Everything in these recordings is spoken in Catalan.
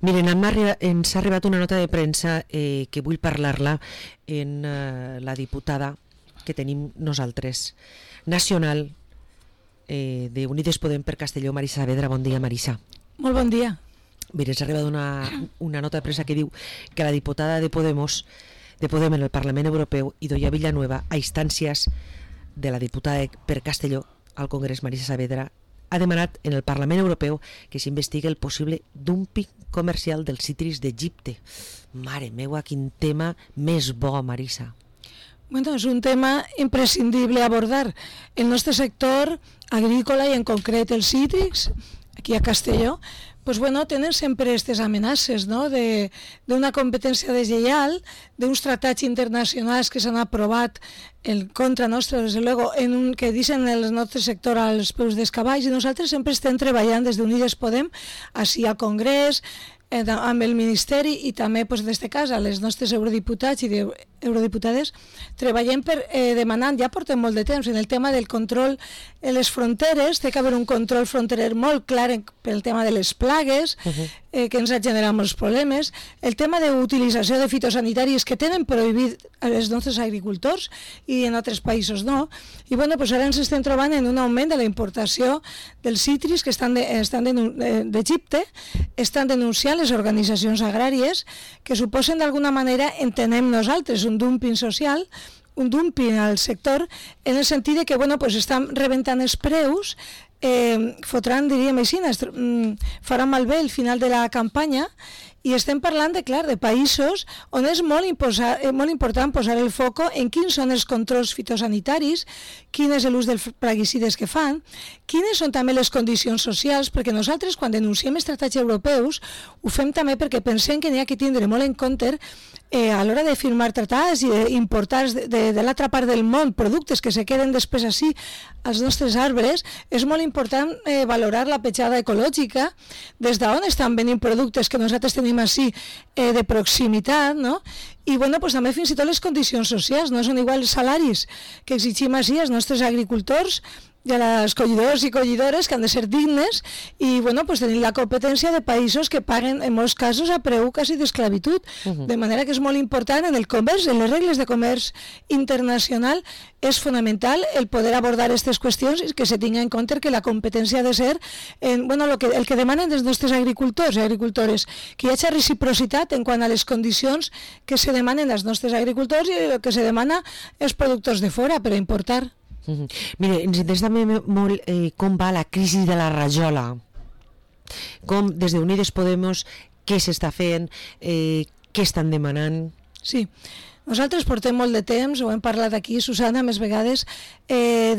Miren, ens ha arribat una nota de premsa que vull parlar-la en la diputada que tenim nosaltres, nacional d'Unides Podem per Castelló, Marisa Saavedra. Bon dia, Marisa. Molt bon dia. Mira, ens ha arribat una nota de premsa que diu que la diputada de Podem en el Parlament Europeu, Idoia Villanueva, a instàncies de la diputada per Castelló al Congrés, Marisa Saavedra, ha demanat en el Parlament Europeu que s'investigui el possible dumping comercial dels cítrics d'Egipte. Mare meua, quin tema més bo, Marisa. Bueno, és un tema imprescindible a abordar. El nostre sector agrícola i en concret els cítrics, aquí a Castelló, pues bueno, tenen sempre aquestes amenaces, no? d'una competència deslleial, d'uns tractats internacionals que s'han aprovat en contra nostra, des de luego, que deixen el nostre sector als peus dels cavalls, i nosaltres sempre estem treballant des d'Unides Podem, així al Congrés, amb el Ministeri i també, en aquest cas, a les nostres eurodiputats i eurodiputades, treballem demanant, ja portem molt de temps, en el tema del control en les fronteres. Té que haver un control fronterer molt clar pel tema de les plagues, que ens ha generat molts problemes, el tema d'utilització de fitosanitaris que tenen prohibit als nostres agricultors i en altres països no, i bueno, pues ara ens estem trobant en un augment de la importació dels cítrics que d'Egipte. Estan denunciant les organitzacions agràries que suposen d'alguna manera, entenem nosaltres, un dumping social, un dumping al sector, en el sentit de que bueno, pues estan rebentant els preus, fotran, diríem així, faran malbé el final de la campanya, i estem parlant de països on és molt important posar el foco en quins són els controls fitosanitaris, quin és l'ús dels plaguicides que fan, quines són també les condicions socials, perquè nosaltres quan denunciem els tractats europeus ho fem també perquè pensem que n'hi ha que tindre molt en compte a l'hora de firmar tractats i d'importar de l'altra part del món productes que se queden després així als nostres arbres. És molt important valorar la petjada ecològica, des d'on estan venint productes que nosaltres tenim així de proximitat, no? I bueno, pues també fins i tot les condicions socials, no són igual els salaris que exigim així als nostres agricultors i a les collidors i collidores, que han de ser dignes, i bueno, pues tenim la competència de països que paguen en molts casos a preu quasi d'esclavitud, de manera que és molt important en el comerç, en les regles de comerç internacional, és fonamental el poder abordar aquestes qüestions i que se tingui en compte que la competència ha de ser el que demanen els nostres agricultors i agricultores, que hi hagi reciprocitat en quant a les condicions que se demanen als nostres agricultors i el que se demana als productors de fora per a importar. Mire, ens interessa també molt com va la crisi de la rajola, com des d'Unides Podem, què s'està fent, què estan demanant. Sí, nosaltres portem molt de temps, ho hem parlat aquí, Susana, més vegades,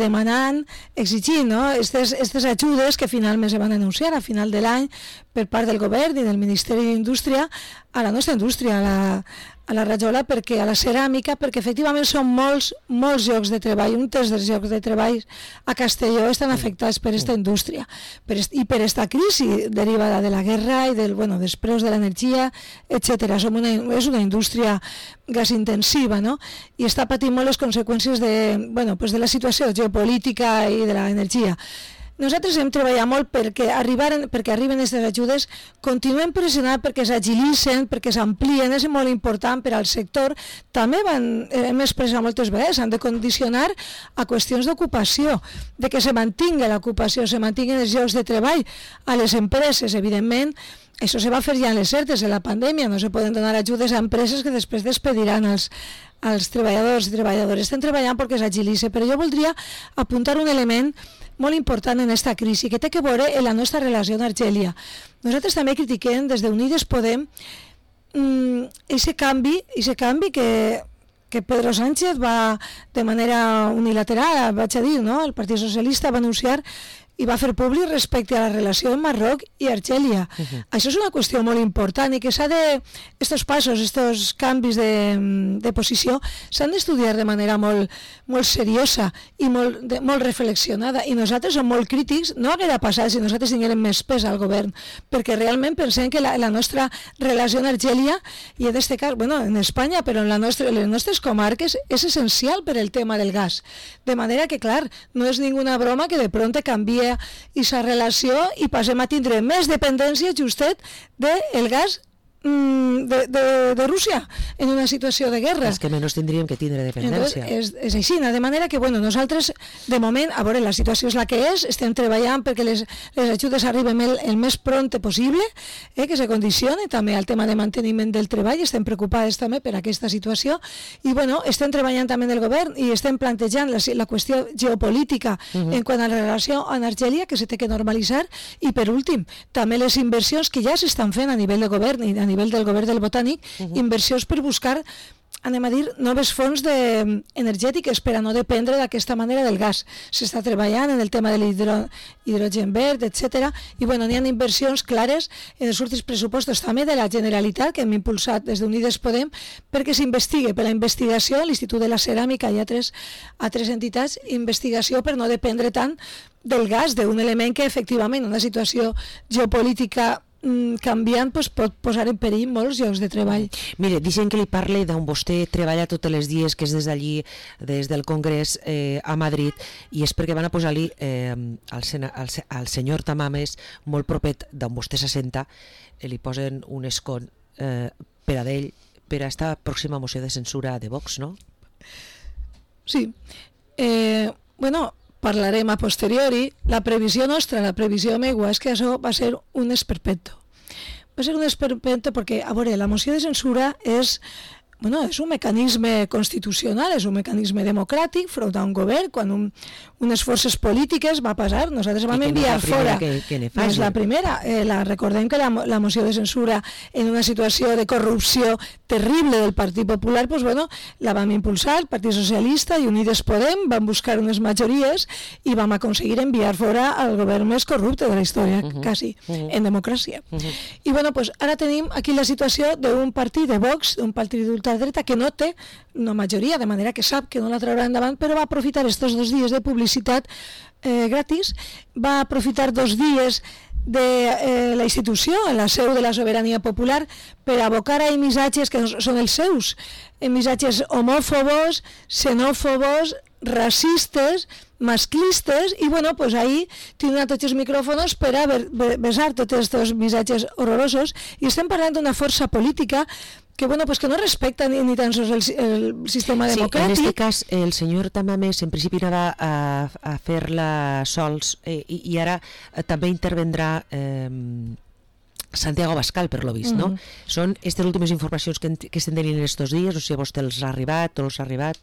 demanant, exigint, no? Aquestes ajudes que finalment se van anunciar a final de l'any per part del govern i del Ministeri d'Indústria a la nostra indústria, a la rajola, perquè a la ceràmica, perquè efectivament són molts llocs de treball, un terç dels llocs de treball a Castelló estan afectats per aquesta indústria i per aquesta crisi derivada de la guerra i dels preus de l'energia, etc. És una indústria gasintensiva, no? I està patint molt les conseqüències de la situació geopolítica i de l'energia. Nosaltres hem treballat molt perquè arriben aquestes ajudes, continuem pressionant perquè s'agilitzen, perquè s'amplien, és molt important per al sector. També hem expressat moltes vegades, han de condicionar a qüestions d'ocupació, de que se mantingui l'ocupació, se mantinguin els llocs de treball a les empreses, evidentment. Això se va fer ja en les certes de la pandèmia, no se poden donar ajudes a empreses que després despediran els treballadors i treballadores. Estem treballant perquè s'agilitzi, però jo voldria apuntar un element molt important en aquesta crisi, que té que veure en la nostra relació amb Argèlia. Nosaltres també critiquem des d'Unides Podem aquest canvi que Pedro Sánchez va de manera unilateral, vaig a dir, no? El Partit Socialista va anunciar i va fer públic respecte a la relació amb Marroc i Argèlia. Això és una qüestió molt important i que estos passos, estos canvis de posició s'han d'estudiar de manera molt seriosa i molt reflexionada, i nosaltres som molt crítics. No haguera passat si nosaltres tinguérem més pes al govern, perquè realment pensem que la nostra relació amb Argèlia, i en aquest cas, en Espanya, però en les nostres comarques, és essencial per el tema del gas. De manera que, clar, no és ninguna broma que de pronto canvie canvia aquesta relació i passem a tindre més dependència justet del gas de Rússia en una situació de guerra. És que menys tindríem que tindre dependència. Entonces, és així, de manera que bueno, nosaltres de moment, a veure, la situació és la que és, estem treballant perquè les ajudes arriben el més pront possible, que se condicioni també al tema de manteniment del treball, estem preocupades també per aquesta situació i bueno, estem treballant també en el govern i estem plantejant la qüestió geopolítica en quant a la relació amb Argèlia que se té que normalitzar i per últim, també les inversions que ja s'estan fent a nivell de govern i a nivell del govern del Botànic, inversions per buscar, anem a dir, noves fonts energètiques per a no dependre d'aquesta manera del gas. S'està treballant en el tema de l'hidrogen verd, etc. I bueno, n'hi ha inversions clares en els últims pressupostos també de la Generalitat que hem impulsat des d'Unides Podem perquè s'investigue per la investigació, l'Institut de la Ceràmica i altres entitats, investigació per no dependre tant del gas, d'un element que efectivament en una situació geopolítica canviant pot posar en perill molts llocs de treball. Mire, deixen que li parle d'on vostè treballa tots els dies, que és des d'allí, des del Congrés a Madrid, i és perquè van a posar-li al senyor Tamames, molt propet d'on vostè s'assenta, li posen un escon per a d'ell, per a esta pròxima moció de censura de Vox, no? Sí. Bueno, parlarem a posteriori. La previsió nostra, la previsió meua, és que això va ser un esperpento. Va ser un esperpento perquè, a veure, la moció de censura és un mecanisme constitucional, és un mecanisme democràtic front a un govern, quan unes forces polítiques va passar, nosaltres vam enviar fora. No és la primera. Recordem que la moció de censura en una situació de corrupció terrible del Partit Popular, la vam impulsar, el Partit Socialista i Unides Podem, van buscar unes majories i vam aconseguir enviar fora al govern més corrupte de la història, quasi, en democràcia. I ara tenim aquí la situació d'un partit de Vox, d'un partit d'ultradreta que no té una majoria, de manera que sap que no la traurà endavant, però va aprofitar estos 2 dies de publicitat gratis, va aprofitar 2 dies de la institució, en la seu de la sobirania popular, per abocar a missatges que són els seus, missatges homòfobos, xenòfobos, racistes, masclistes, i ahir tindran tots els micròfons per a besar tots aquests missatges horrorosos, i estem parlant d'una força política que que no respecta ni tan sols el sistema democràtic. En aquest cas, el senyor Tamames en principi anava a fer-la sols i ara també intervendrà Santiago Abascal, per lo vist, no? Són aquestes últimes informacions que estem tenint estos dies, no sé si a vostè els ha arribat o no els ha arribat.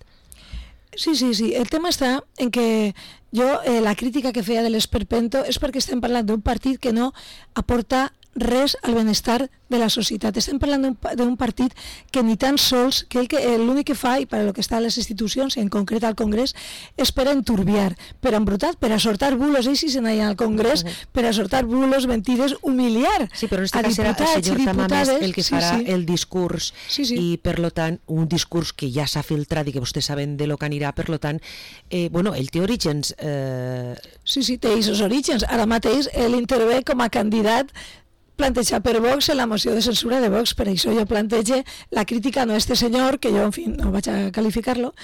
Sí. El tema està en que jo, la crítica que feia de l'esperpento és perquè estem parlant d'un partit que no aporta res al benestar de la societat. Estem parlant d'un partit que ni tan sols, que l'únic que fa, i per a lo que està a les institucions, en concret al Congrés, és per a enturbiar, per a embrutar, per a sortar bulos, ells si se n'hi al Congrés, per a sortar bulos, mentides, humiliar. Sí, però en aquest cas serà el senyor Tamames el que farà el discurs, i per lo tant, un discurs que ja s'ha filtrat i que vostès saben de lo que anirà, per lo tant, ell té orígens. Sí, té aquests orígens. Ara mateix ell intervé com a candidat plantejat per Vox en la moció de censura de Vox, per això jo plantege la crítica no a este senyor, que jo, en fi, no vaig a qualificar-lo,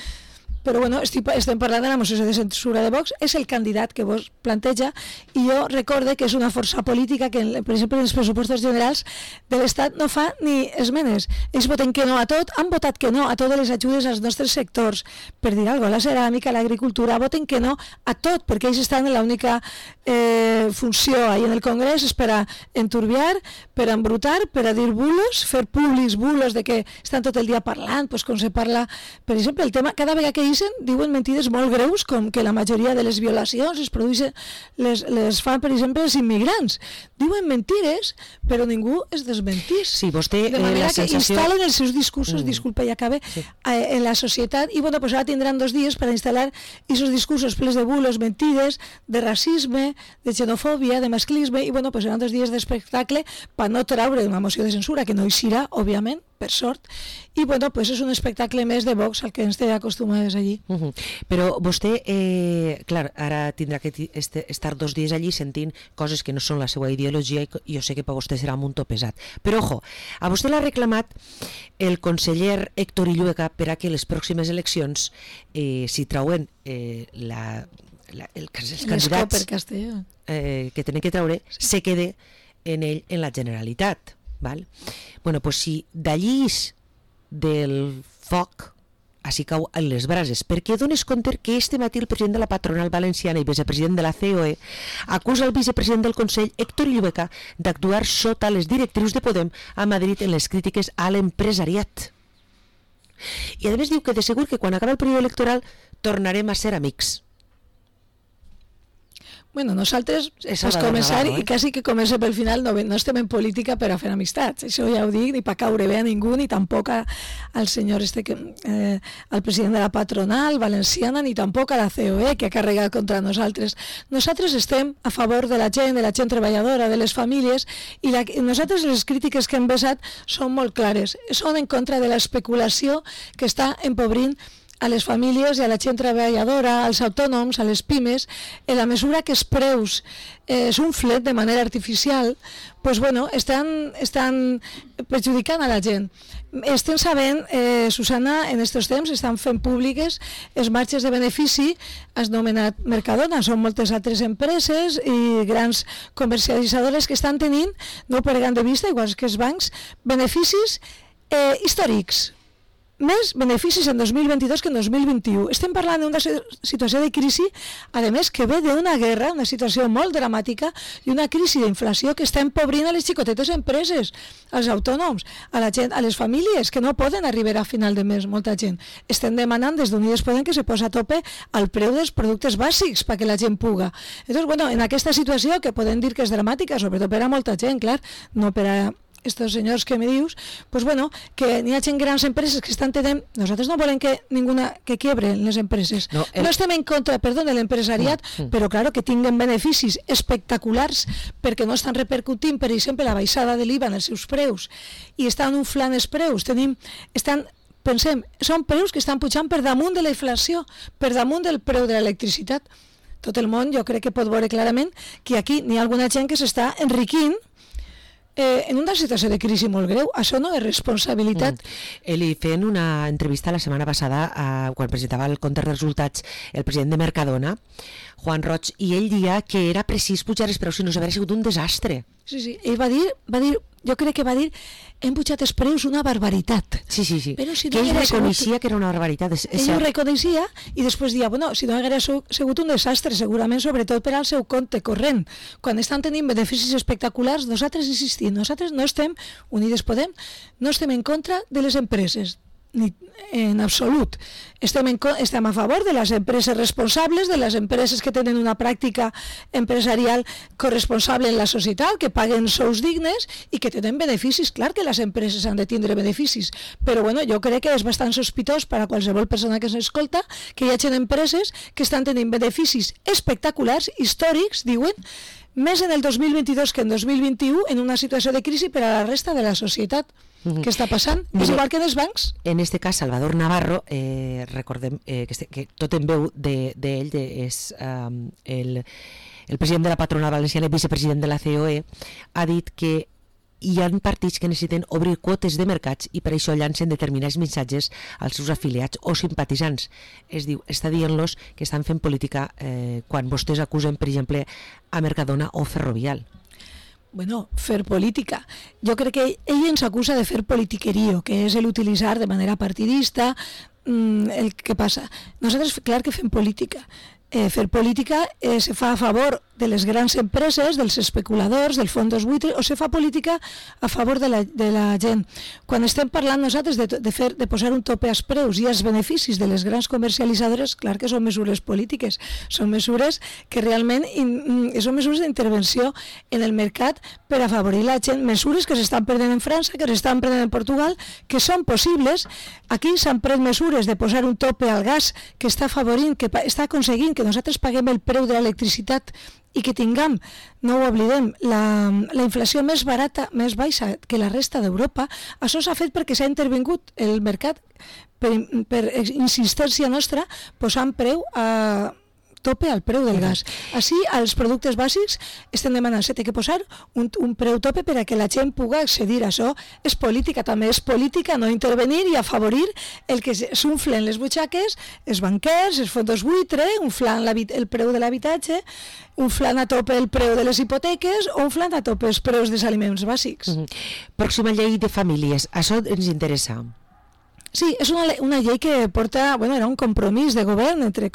però estem parlant de la moció de censura de Vox, és el candidat que Vox planteja, i jo recorde que és una força política que, per exemple, en els pressupostos generals de l'Estat no fa ni esmenes. Ells voten que no a tot, han votat que no a totes les ajudes als nostres sectors, per dir alguna cosa, la ceràmica, l'agricultura, voten que no a tot, perquè ells estan en l'única funció ahí en el Congrés, és per a enturbiar, per a embrutar, per a dir bulos, fer públics bulos de que estan tot el dia parlant, com se parla, per exemple, el tema, cada vegada que diuen mentides molt greus, com que la majoria de les violacions es produeixen, les fan, per exemple, els immigrants. Diuen mentides, però ningú es desmentís. Sí, vostè, de manera que instal·len els seus discursos, disculpa, ja acabe, en la societat, i ara tindran 2 dies per a instal·lar aquests discursos plens de bulos, mentides, de racisme, de xenofòbia, de masclisme, i seran 2 dies d'espectacle per no traure una moció de censura, que no hi serà, òbviament, per sort, i és un espectacle més de Vox al que ens té acostumades allí. Però vostè, clar, ara tindrà que estar 2 dies allí sentint coses que no són la seva ideologia, i jo sé que per vostè serà un to pesat. Però, ojo, a vostè l'ha reclamat el conseller Héctor Illueca per a que les pròximes eleccions, si trauen els candidats per Castelló. Que tenen que treure se quede en la Generalitat, val? Bueno, pues si d'allí del foc així cau en les brases, perquè dones compte que este matí el president de la patronal valenciana i vicepresident de la COE acusa el vicepresident del Consell, Héctor Illueca, d'actuar sota les directrius de Podem a Madrid en les crítiques a l'empresariat. I a més diu que de segur que quan acabi el període electoral tornarem a ser amics. Bueno, nosaltres, és començar i quasi que comença pel final, no estem en política per a fer amistats, això ja ho dic, ni per caure bé a ningú, ni tampoc al senyor al president de la patronal valenciana, ni tampoc a la COE, que ha carregat contra nosaltres. Nosaltres estem a favor de la gent treballadora, de les famílies, i nosaltres les crítiques que hem vessat són molt clares, són en contra de l'especulació que està empobrint a les famílies i a la gent treballadora, als autònoms, a les pimes, en la mesura que els preus s'unflen de manera artificial, pues bueno, estan perjudicant a la gent. Estem sabent, Susana, en aquests temps estan fent públiques els marges de benefici, has nomenat Mercadona, són moltes altres empreses i grans comercialitzadores que estan tenint, no perdent de vista, igual que els bancs, beneficis històrics. Més beneficis en 2022 que en 2021. Estem parlant d'una situació de crisi, a més que ve d'una guerra, una situació molt dramàtica i una crisi d'inflació que està empobrint a les xicotetes empreses, als autònoms, a la gent, a les famílies que no poden arribar a final de mes, molta gent. Estem demanant des d'Unides Podem que se posa a tope al preu dels productes bàsics perquè la gent puga. Entonces, bueno, en aquesta situació que podem dir que és dramàtica, sobretot per a molta gent, clar, no per a estos senyors que me dius, pues bueno, que n'hi ha gent grans empreses que estan tenint, nosaltres no volem que quiebren les empreses. No estem en contra, de l'empresariat, però claro, que tinguen beneficis espectaculars perquè no estan repercutint, per exemple, la baixada de l'IVA en els seus preus i estan inflant els preus. Pensem, són preus que estan pujant per damunt de la inflació, per damunt del preu de l'electricitat. Tot el món jo crec que pot veure clarament que aquí n'hi ha alguna gent que s'està enriquint en una situació de crisi molt greu. Això no és responsabilitat. Li feien una entrevista la setmana passada quan presentava el compte de resultats el president de Mercadona, Juan Roig, i ell dia que era precís pujar els preus, si no s'hauria sigut un desastre. Sí, ell va dir, jo crec que va dir, hem pujat els preus una barbaritat. Sí. Però si no que ell reconeixia que era una barbaritat. Ell ho reconeixia i després dia, bueno, si no hagués sigut un desastre, segurament, sobretot per al seu compte corrent. Quan estan tenint beneficis espectaculars, nosaltres insistim, nosaltres no estem, Unides Podem, no estem en contra de les empreses, ni en absolut. Estem a favor de les empreses responsables, de les empreses que tenen una pràctica empresarial corresponsable en la societat, que paguen sous dignes i que tenen beneficis. Clar que les empreses han de tindre beneficis, però bueno, jo crec que és bastant sospitós per a qualsevol persona que s'escolta que hi hagi empreses que estan tenint beneficis espectaculars, històrics, diuen, més en el 2022 que en 2021, en una situació de crisi per a la resta de la societat. Què està passant? És igual que en els bancs. En este cas, Salvador Navarro, recordem que tot en veu d'ell, és el president de la patronal valenciana i vicepresident de la COE, ha dit que hi ha partits que necessiten obrir quotes de mercats i per això llancen determinats missatges als seus afiliats o simpatitzants. Està dient-los que estan fent política quan vostès acusen, per exemple, a Mercadona o Ferrovial. Bueno, fer política. Jo crec que ell ens acusa de fer politiquerío, que és l'utilitzar de manera partidista el que passa. Nosaltres, clar que fem política. Fer política se fa a favor de les grans empreses, dels especuladors, dels fondos buitres, o se fa política a favor de la gent. Quan estem parlant nosaltres de posar un tope als preus i als beneficis de les grans comercialitzadores, clar que són mesures polítiques, són mesures que realment són mesures d'intervenció en el mercat per afavorir la gent, mesures que s'estan prenent en França, que s'estan prenent en Portugal, que són possibles. Aquí s'han pres mesures de posar un tope al gas que està afavorint, que està aconseguint que nosaltres paguem el preu de l'electricitat i que tinguem, no ho oblidem, la inflació més barata, més baixa que la resta d'Europa. Això s'ha fet perquè s'ha intervingut el mercat per insistència nostra posant preu a tope al preu del gas. Així, als productes bàsics estem demanant, s'ha de posar un preu tope per a que la gent pugui accedir a això. És política, també és política no intervenir i afavorir el que s'unflen les butxaques, els banquers, els fons buitre, unflant el preu de l'habitatge, unflant a tope el preu de les hipoteques o unflant a tope els preus dels aliments bàsics. Pròxima llei de famílies, això ens interessa. Sí, és una llei que porta, era un compromís de govern entre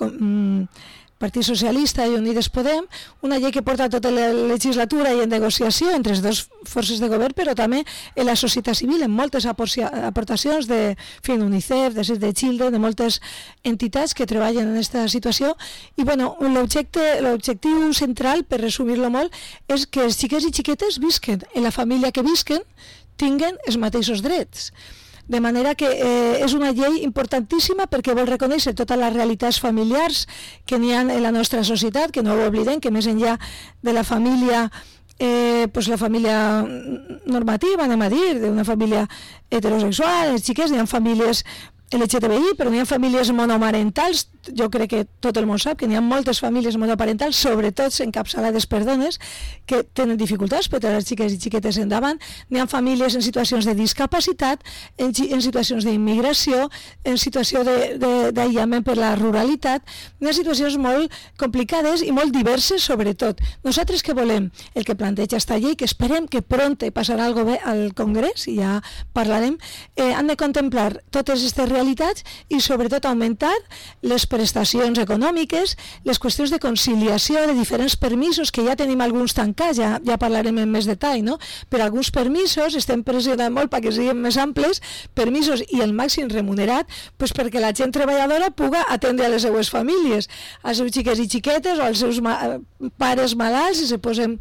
Partit Socialista i Unides Podem, una llei que porta tota la legislatura i en negociació entre les dues forces de govern, però també en la societat civil, en moltes aportacions de UNICEF, de Save the Children, de moltes entitats que treballen en aquesta situació. I l'objectiu central, per resumir-lo molt, és que els xiquets i xiquetes visquen, en la família que visquen, tinguen els mateixos drets. De manera que és una llei importantíssima perquè vol reconèixer totes les realitats familiars que n'hi ha en la nostra societat, que no ho oblidem, que més enllà de la família la família normativa, anem a dir, d'una família heterosexual, els xiquets, n'hi ha famílies LGTBI, però n'hi ha famílies monomarentals, jo crec que tot el món sap que n'hi ha moltes famílies monoparentals, sobretot encapçalades per dones, que tenen dificultats per tenir les xiques i xiquetes endavant. N'hi ha famílies en situacions de discapacitat, en situacions d'immigració, en situació d'aïllament per la ruralitat. N'hi ha situacions molt complicades i molt diverses, sobretot. Nosaltres què volem? El que planteja esta llei, que esperem que pronte passarà al Congrés, i ja parlarem, han de contemplar totes aquestes realitats i sobretot augmentar les prestacions econòmiques, les qüestions de conciliació de diferents permisos, que ja tenim alguns tancats, ja parlarem en més detall, no? Per alguns permisos estem pressionant molt perquè siguin més amples, permisos i el màxim remunerat, perquè la gent treballadora puga atendre a les seues famílies, als seus xiques i xiquetes o als seus pares malalts, i se posen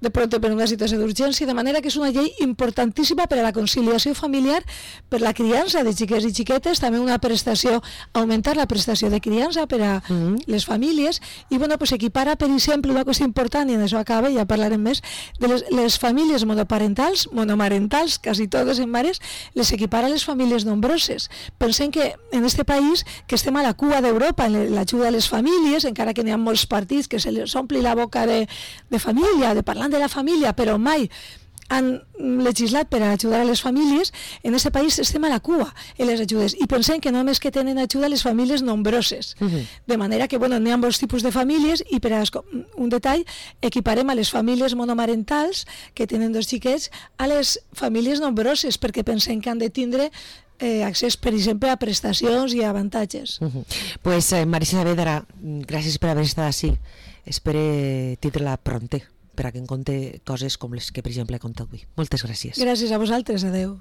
de pronto per una situació d'urgència, de manera que és una llei importantíssima per a la conciliació familiar, per la criança de xiquets i xiquetes, també una prestació, augmentar la prestació de criança per a les famílies, i equipara, per exemple, una qüestió important, i en això acaba, ja parlarem més, de les famílies monomarentals, quasi totes en mares, les equipara a les famílies nombroses. Pensem que en aquest país, que estem a la cua d'Europa en l'ajuda a les famílies, encara que n'hi ha molts partits que se les ompli la boca de família, de parlar de la família, però mai han legislat per a ajudar a les famílies. En aquest país estem a la cua en les ajudes i pensem que només que tenen ajuda les famílies nombroses, de manera que n'hi ha molts tipus de famílies, i per a un detall, equiparem a les famílies monomarentals que tenen dos xiquets a les famílies nombroses, perquè pensem que han de tindre accés, per exemple, a prestacions i a avantatges. Pues Marisa Saavedra, gràcies per haver estat així. Espero tindre-la pronte per a que em conte coses com les que, per exemple, he contat avui. Moltes gràcies. Gràcies a vosaltres, adeu.